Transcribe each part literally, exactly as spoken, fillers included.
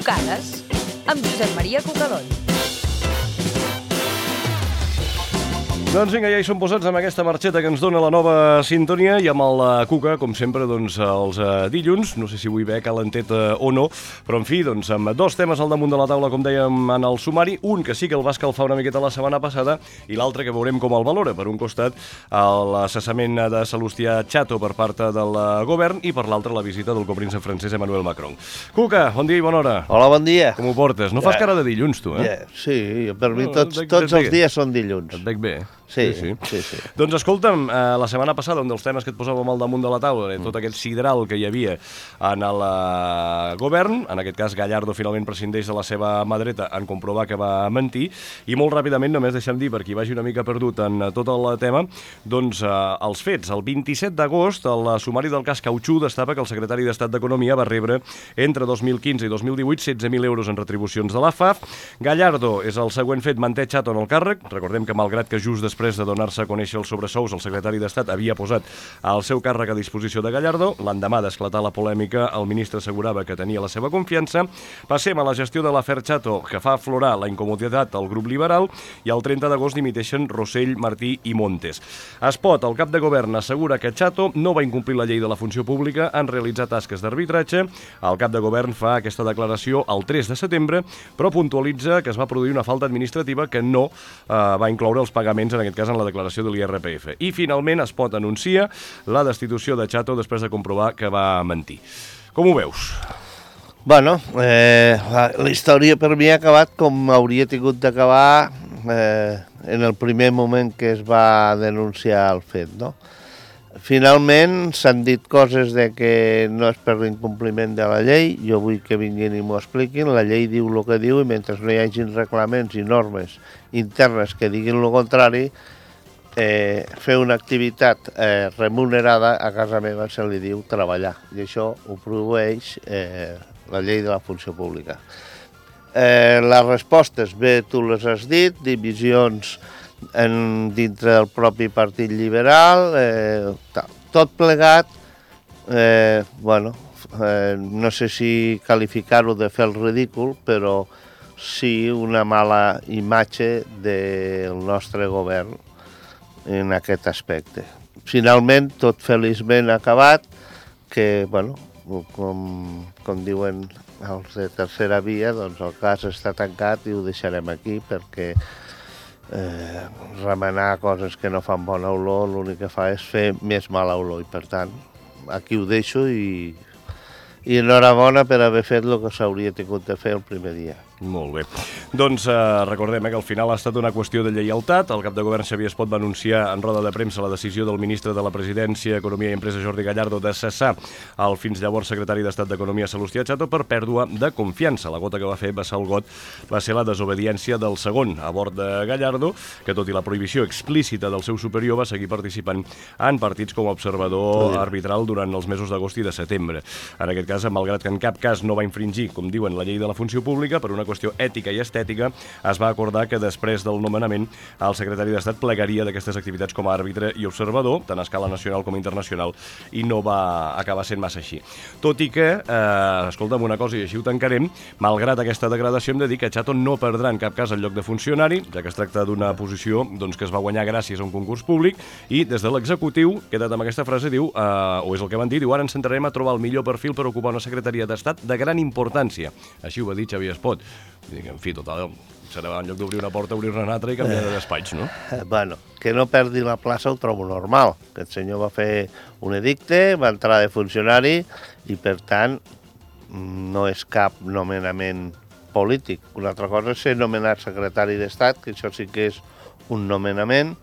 Cucades, amb Josep Maria Cucadón. Doncs vinga, ja hi som posats amb aquesta marxeta que ens dona la nova sintonia i amb el Cuca, com sempre, doncs, els dilluns, no sé si avui ve calentet o no, però en fi, doncs, amb dos temes al damunt de la taula, com dèiem en el sumari, un que sí que el va escalfar una miqueta la setmana passada i l'altre que veurem com el valora. Per un costat, el cessament de Salustià Chato per part del govern i per l'altre la visita del copríncep francès Emmanuel Macron. Cuca, bon dia i bona hora. Hola, bon dia. Com ho portes? No fas cara de dilluns, tu, eh? Yeah, sí, per mi tots, tots els dies són dilluns. Et veig bé. Sí, sí, sí, sí. Doncs escolta'm, eh, la setmana passada, un dels temes que et posàvem al damunt de la taula, mm. tot aquest sidral que hi havia en el uh, govern, en aquest cas Gallardo finalment prescindeix de la seva mà dreta en comprovar que va mentir, i molt ràpidament, només deixem dir, per qui vagi una mica perdut en uh, tot el tema, doncs uh, els fets. El vint-i-set d'agost, el uh, sumari del cas Cautxú destapa que el secretari d'Estat d'Economia va rebre entre dos mil quinze i dos mil divuit setze mil euros en retribucions de l'A F A F. Gallardo és el següent fet, manté Chato en el càrrec. Recordem que malgrat que just després de donar-se a conèixer els sobresous, el secretari d'Estat havia posat el seu càrrec a disposició de Gallardo. L'endemà d'esclatar la polèmica, el ministre assegurava que tenia la seva confiança. Passem a la gestió de l'afer Chato, que fa aflorar la incomoditat al grup liberal, i el trenta d'agost dimiteixen Rossell, Martí i Montes. Espot, el cap de govern, assegura que Chato no va incomplir la llei de la funció pública en realitzar tasques d'arbitratge. El cap de govern fa aquesta declaració el tres de setembre, però puntualitza que es va produir una falta administrativa que no eh, va incloure els pagaments, en aquest cas en la declaració de l'I R P F. I finalment Espot anuncia la destitució de Chato després de comprovar que va mentir. Com ho veus? Bueno, eh, la, la història per mi ha acabat com hauria tingut d'acabar eh, en el primer moment que es va denunciar el fet, no? Finalment s'han dit coses de que no és per l'incompliment de la llei. Jo vull que vinguin i m'ho expliquin. La llei diu el que diu i mentre no hi hagin reglaments i normes internes que diguin el contrari, Eh, fer una activitat eh, remunerada a casa meva se li diu treballar, i això ho prohibeix eh, la llei de la funció pública. Eh, les respostes, bé, tu les has dit, divisions en, dintre del propi Partit Liberal, eh, tot plegat, eh, bueno, eh, no sé si qualificar-ho de fer el ridícul, però sí una mala imatge del nostre govern en aquest aspecte. Finalment, tot feliçment acabat, que, bueno, com, com diuen els de tercera via, doncs el cas està tancat i ho deixarem aquí perquè eh, remenar coses que no fan bona olor l'únic que fa és fer més mala olor i, per tant, aquí ho deixo i, i enhorabona per haver fet el que s'hauria tingut de fer el primer dia. Molt bé. Doncs eh, recordem eh, que al final ha estat una qüestió de lleialtat. El cap de govern Xavier Espot va anunciar en roda de premsa la decisió del ministre de la Presidència, Economia i Empresa Jordi Gallardo de cessar el fins llavors secretari d'Estat d'Economia Salustià Chato per pèrdua de confiança. La gota que va fer vessar el got va ser la desobediència del segon a bord de Gallardo, que tot i la prohibició explícita del seu superior va seguir participant en partits com a observador arbitral durant els mesos d'agost i de setembre. En aquest cas, malgrat que en cap cas no va infringir, com diuen, la llei de la funció pública, per una qüestió ètica i estètica, es va acordar que després del nomenament el secretari d'Estat plegaria d'aquestes activitats com a àrbitre i observador, tant a escala nacional com internacional, i no va acabar sent massa així. Tot i que, eh, escolta'm una cosa, i així ho tancarem, malgrat aquesta degradació hem de dir que Chato no perdrà en cap cas el lloc de funcionari, ja que es tracta d'una posició doncs, que es va guanyar gràcies a un concurs públic, i des de l'executiu, quedat amb aquesta frase, diu, eh, o és el que van dir, diu, ara ens centrarem a trobar el millor perfil per ocupar una secretaria d'Estat de gran importància. Així ho va dir Xavier Espot. En fi, total, serà en lloc d'obrir una porta, obrir una altra i canviar de despatx, no? Eh, bueno, que no perdi la plaça ho trobo normal. Aquest senyor va fer un edicte, va entrar de funcionari i, per tant, no és cap nomenament polític. Una altra cosa és ser nomenat secretari d'Estat, que això sí que és un nomenament,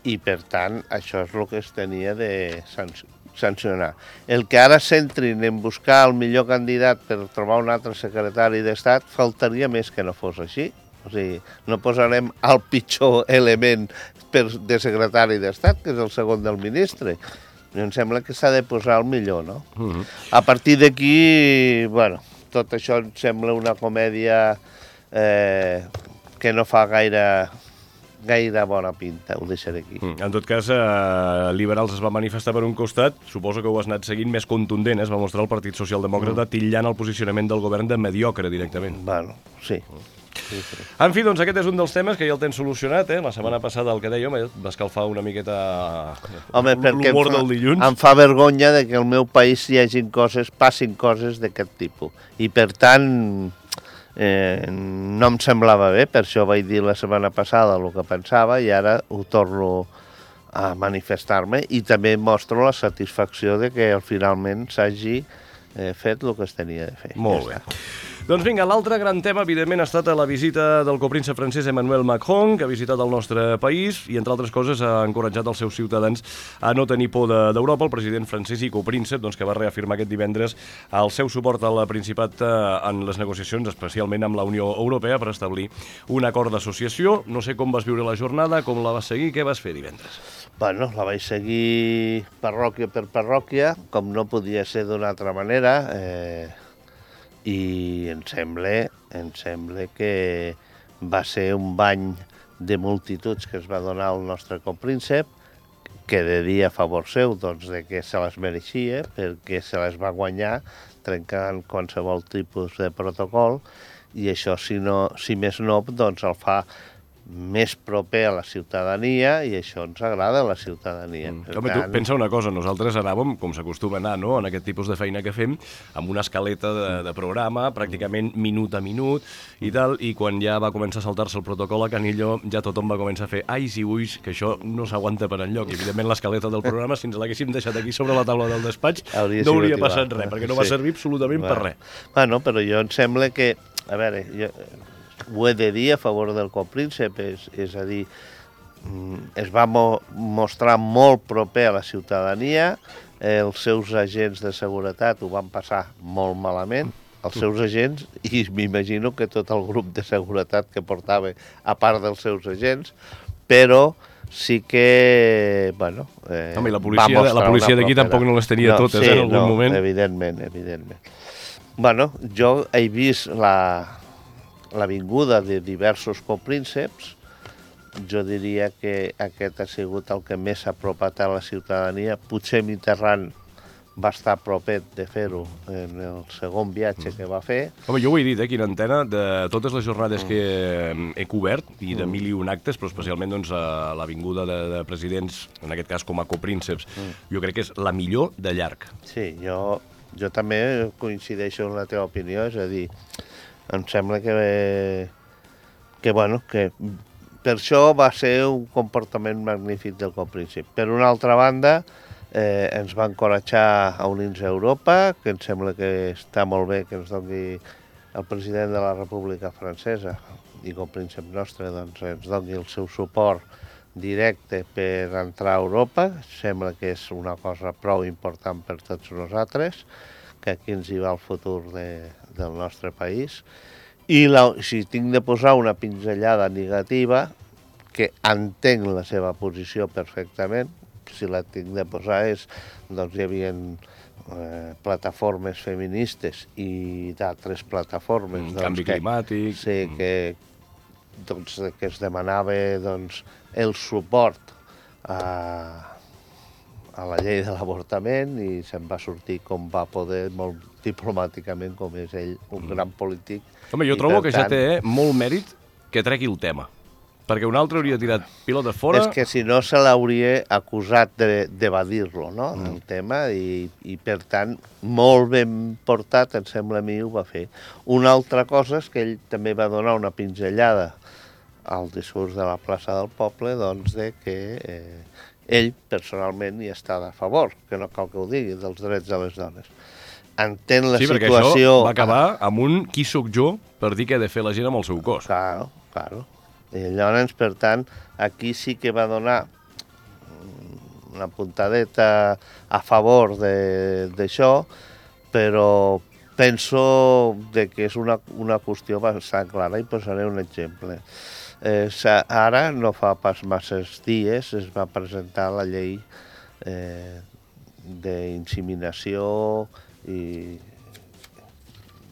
i, per tant, això és el que es tenia de sancionar. El que ara s'entrin en buscar el millor candidat per trobar un altre secretari d'Estat, faltaria més que no fos així. O sigui, no posarem el pitjor element per, de secretari d'Estat, que és el segon del ministre. Em sembla que s'ha de posar el millor, no? Uh-huh. A partir d'aquí, bueno, tot això em sembla una comèdia eh, que no fa gaire gaire bona pinta, ho deixaré aquí. Mm. En tot cas, eh, Liberals es va manifestar per un costat, suposo que ho has anat seguint més contundent, eh? Es va mostrar el Partit Socialdemòcrata mm. titllant el posicionament del govern de mediocre directament. Bueno, sí. Sí, sí. En fi, doncs aquest és un dels temes que ja el tens solucionat, eh? La setmana passada el que deia, home, va escalfar una miqueta home, perquè l'humor em fa, del dilluns. em fa vergonya de que al meu país hi hagin coses, passin coses d'aquest tipus. I per tant, eh, no em semblava bé, per això vaig dir la setmana passada el que pensava i ara ho torno a manifestar-me i també mostro la satisfacció de que finalment s'hagi eh, fet el que es tenia de fer. Molt ja bé. està. Doncs vinga, l'altre gran tema, evidentment, ha estat la visita del copríncep francès Emmanuel Macron, que ha visitat el nostre país i, entre altres coses, ha encoratjat els seus ciutadans a no tenir por d'Europa. El president francès i copríncep, doncs, que va reafirmar aquest divendres el seu suport al Principat en les negociacions, especialment amb la Unió Europea, per establir un acord d'associació. No sé com vas viure la jornada, com la vas seguir, què vas fer divendres? Bueno, la vaig seguir parròquia per parròquia, com no podia ser d'una altra manera, eh, i em sembla, em sembla que va ser un bany de multituds que es va donar al nostre copríncep, que de dia a favor seu, doncs, de que se les mereixia, perquè se les va guanyar trencant qualsevol tipus de protocol, i això, si, no, si més no, doncs el fa més proper a la ciutadania i això ens agrada a la ciutadania. Mm. Home, tant... tu pensa una cosa, nosaltres anàvem, com s'acostuma a anar, no?, en aquest tipus de feina que fem, amb una escaleta de, de programa, pràcticament minut a minut i tal, i quan ja va començar a saltar-se el protocol a Canillo, ja tothom va començar a fer ais i uis, que això no s'aguanta per enlloc. I, evidentment, l'escaleta del programa, si ens l'haguéssim deixat aquí sobre la taula del despatx, hauria no hauria passat igual. res, perquè no va sí. servir absolutament bueno. per res. Bueno, però jo em sembla que, a veure, jo... ho he de dir a favor del copríncep, és, és a dir, es va mo mostrar molt proper a la ciutadania, els seus agents de seguretat ho van passar molt malament, els seus agents, i m'imagino que tot el grup de seguretat que portava, a part dels seus agents, però sí que, bueno... Eh, Home, i la policia, la policia d'aquí tampoc no les tenia no, totes, sí, eh, en algun no, moment. evidentment, evidentment. Bueno, jo he vist la... la vinguda de diversos coprínceps, jo diria que aquest ha sigut el que més s'ha apropat a la ciutadania. Potser Mitterrand va estar propet de fer-ho en el segon viatge que va fer. Home, jo ho he dit aquí en antena, de totes les jornades que he cobert, i de mil i un actes, però especialment doncs, a la vinguda de, de presidents, en aquest cas com a coprínceps, jo crec que és la millor de llarg. Sí, jo, jo també coincideixo en la teva opinió, és a dir, em sembla que, que, bueno, que per això va ser un comportament magnífic del copríncep. Per una altra banda, eh, ens va encoratjar a unir-nos a Europa, que em sembla que està molt bé que ens doni el president de la República Francesa i copríncep nostre, doncs ens doni el seu suport directe per entrar a Europa. Sembla que és una cosa prou important per tots nosaltres, que aquí ens hi va el futur de, del nostre país. I la, si tinc de posar una pinzellada negativa, que entenc la seva posició perfectament, si la tinc de posar és, doncs hi havia eh, plataformes feministes i d'altres plataformes. Mm, doncs, canvi que, climàtic. Sí, que, doncs, que es demanava doncs, el suport a... a la llei de l'avortament i se'n va sortir com va poder, molt diplomàticament, com és ell, un mm. gran polític. Home, jo trobo que tant... ja té eh, molt mèrit que tregui el tema, perquè un altre hauria tirat pilota fora... És que si no se l'hauria acusat d'evadir-lo, no?, mm. el tema, i, i per tant, molt ben portat, em sembla a mi, ho va fer. Una altra cosa és que ell també va donar una pinzellada al discurs de la plaça del Poble, doncs, de que... Eh, ell, personalment, hi està a favor, que no cal que ho digui, dels drets de les dones. Entén la sí, situació... Sí, perquè això va acabar amb un qui sóc jo per dir què ha de fer la gent amb el seu cos. Claro, claro. I llavors, per tant, aquí sí que va donar una puntadeta a favor d'això, però penso de que és una, una qüestió bastant clara i posaré un exemple. Eh, ara, no fa pas masses dies, es va presentar la llei eh, d'inseminació i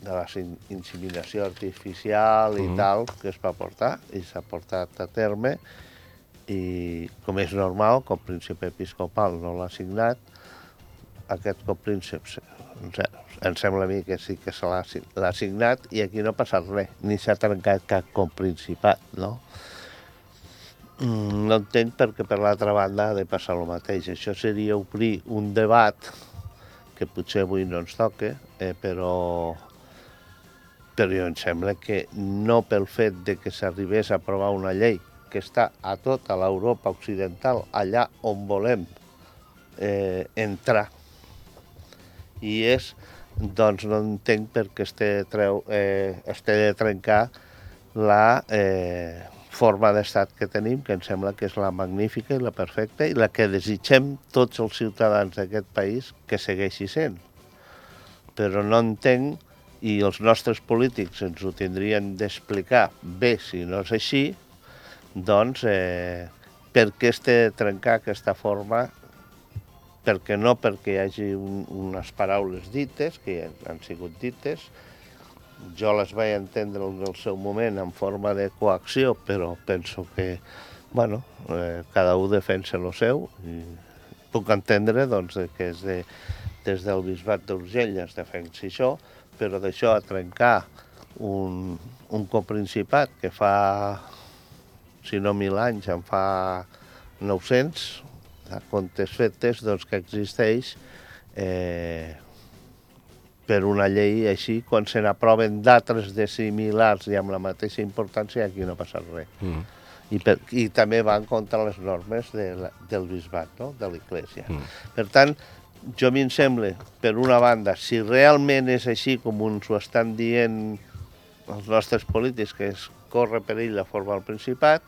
de la inseminació artificial i mm. tal, que es va portar i s'ha portat a terme, i com és normal, com príncep episcopal no l'ha signat, aquest copríncep em sembla a mi que sí que se l'ha signat i aquí no ha passat res, ni s'ha trencat cap coprincipat, no? No entenc perquè per l'altra banda ha de passar el mateix. Això seria obrir un debat que potser avui no ens toca, eh, però, però em sembla que no pel fet de que s'arribés a aprovar una llei que està a tota l'Europa occidental, allà on volem eh, entrar, i és, doncs no entenc per què es té, treu, eh, es té de trencar la eh, forma d'estat que tenim, que em sembla que és la magnífica i la perfecta i la que desitgem tots els ciutadans d'aquest país que segueixi sent. Però no entenc, i els nostres polítics ens ho tindrien d'explicar bé si no és així, doncs eh, per què es té de trencar aquesta forma, perquè no perquè hi hagi un, unes paraules dites, que han sigut dites, jo les vaig entendre en el seu moment en forma de coacció, però penso que, bueno, eh, cada un defensa el seu, i puc entendre doncs, que és de, des del bisbat d'Urgell es defensi això, però d'això a trencar un, un coprincipat que fa, si no mil anys, en fa nou-cents, a comptes fetes, doncs que existeix eh, per una llei així, quan se n'aproven d'altres de similars i amb la mateixa importància, aquí no passa res. Mm. I, per, I també van contra les normes de la, del bisbat, no? De l'Església. Mm. Per tant, jo m'hi sembla, per una banda, si realment és així com ens ho estan dient els nostres polítics, que es corre perill de formar el Principat,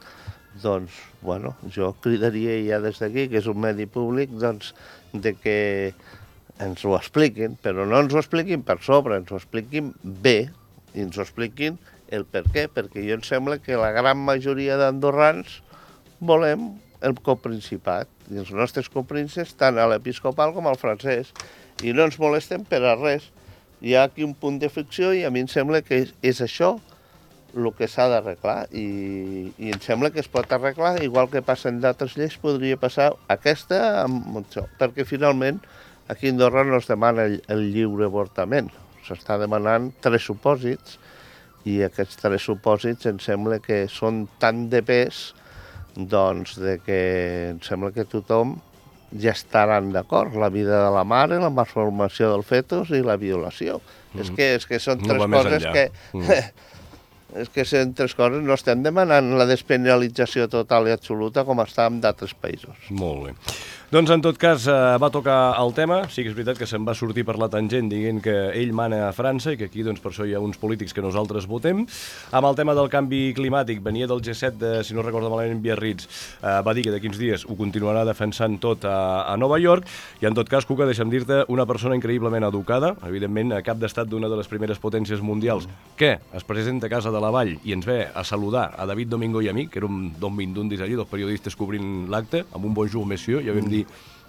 doncs, bueno, jo cridaria ja des d'aquí, que és un medi públic, doncs, de que ens ho expliquin, però no ens ho expliquin per sobre, ens ho expliquin bé, i ens ho expliquin el per què, perquè jo em sembla que la gran majoria d'andorrans volem el coprincipat, i els nostres coprínceps, tant a l'episcopal com al francès, i no ens molesten per a res. Hi ha aquí un punt de fricció i a mi em sembla que és, és això el que s'ha d'arreglar, i, i em sembla que es pot arreglar, igual que passen d'altres lleis, podria passar aquesta amb això, perquè finalment aquí a Andorra no es demana el, el lliure avortament, s'està demanant tres supòsits, i aquests tres supòsits em sembla que són tan de pes, doncs, de que em sembla que tothom ja estaran d'acord, la vida de la mare, la malformació del fetus i la violació. Mm. És, que, és que són tres no coses que... Mm. És que són tres coses, no estem demanant la despenalització total i absoluta com està en d'altres països. Molt bé. Doncs, en tot cas, eh, va tocar el tema. Sí que és veritat que se'n va sortir per la tangent dient que ell mana a França i que aquí, doncs, per això hi ha uns polítics que nosaltres votem. Amb el tema del canvi climàtic, venia del G set, de, si no recordo malament, Biarritz, eh, va dir que d'aquí uns dies ho continuarà defensant tot a, a Nova York. I, en tot cas, Cuca, deixa'm dir-te, una persona increïblement educada, evidentment, a cap d'estat d'una de les primeres potències mundials, que es presenta a Casa de la Vall i ens ve a saludar a David Domingo i a mi, que érem d'on vindundis allí, dos periodistes cobrint l'acte, amb un bonjour, monsieur, ja vam dir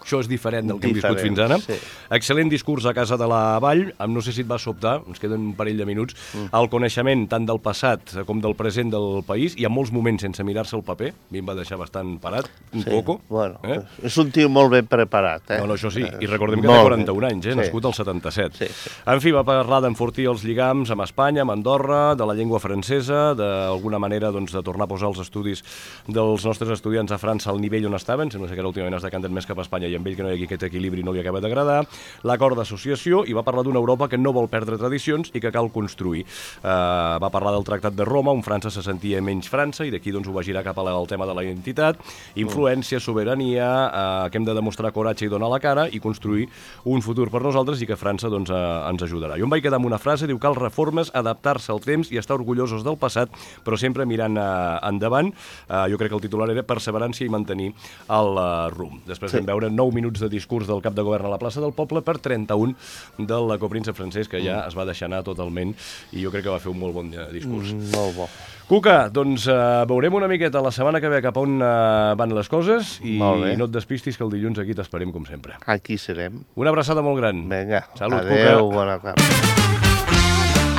això és diferent del que hem viscut fins ara. Sí. Excel·lent discurs a Casa de la Vall, amb no sé si et va sobtar, ens queden un parell de minuts, mm. el coneixement tant del passat com del present del país, i en molts moments sense mirar-se el paper, a mi em va deixar bastant parat, un sí. poco. Bueno, eh? És un tio molt ben preparat. Eh? No, no, això sí, i recordem que té quaranta-un anys, eh? Sí. Nascut al setanta-set. Sí, sí. En fi, va parlar d'enfortir els lligams amb Espanya, amb Andorra, de la llengua francesa, d'alguna manera doncs, de tornar a posar els estudis dels nostres estudiants a França al nivell on estaven, sembla que ara últimament es decanten més cap a Espanya i amb ell que no hi ha aquest equilibri no li acaba d'agradar, l'acord d'associació, i va parlar d'una Europa que no vol perdre tradicions i que cal construir. Uh, va parlar del Tractat de Roma, on França se sentia menys França, i d'aquí doncs, ho va girar cap al tema de la identitat, influència, sobirania, uh, que hem de demostrar coratge i donar la cara i construir un futur per nosaltres i que França doncs, uh, ens ajudarà. Jo em vaig quedar amb una frase, diu, cal reformes, adaptar-se al temps i estar orgullosos del passat, però sempre mirant uh, endavant. Uh, jo crec que el titular era perseverància i mantenir el uh, rumb. Després sí. vam veure nou minuts de discurs del cap de govern a la plaça del Poble per trenta-un del copríncep francès, que ja es va deixar anar totalment, i jo crec que va fer un molt bon discurs. Mm, molt bo. Cuca, doncs uh, veurem una miqueta la setmana que ve cap on uh, van les coses, i no et despistis que el dilluns aquí t'esperem com sempre. Aquí serem. Una abraçada molt gran. Vinga, salut, adeu, Cuca. Bona tarda.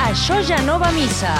Això ja no va a missa.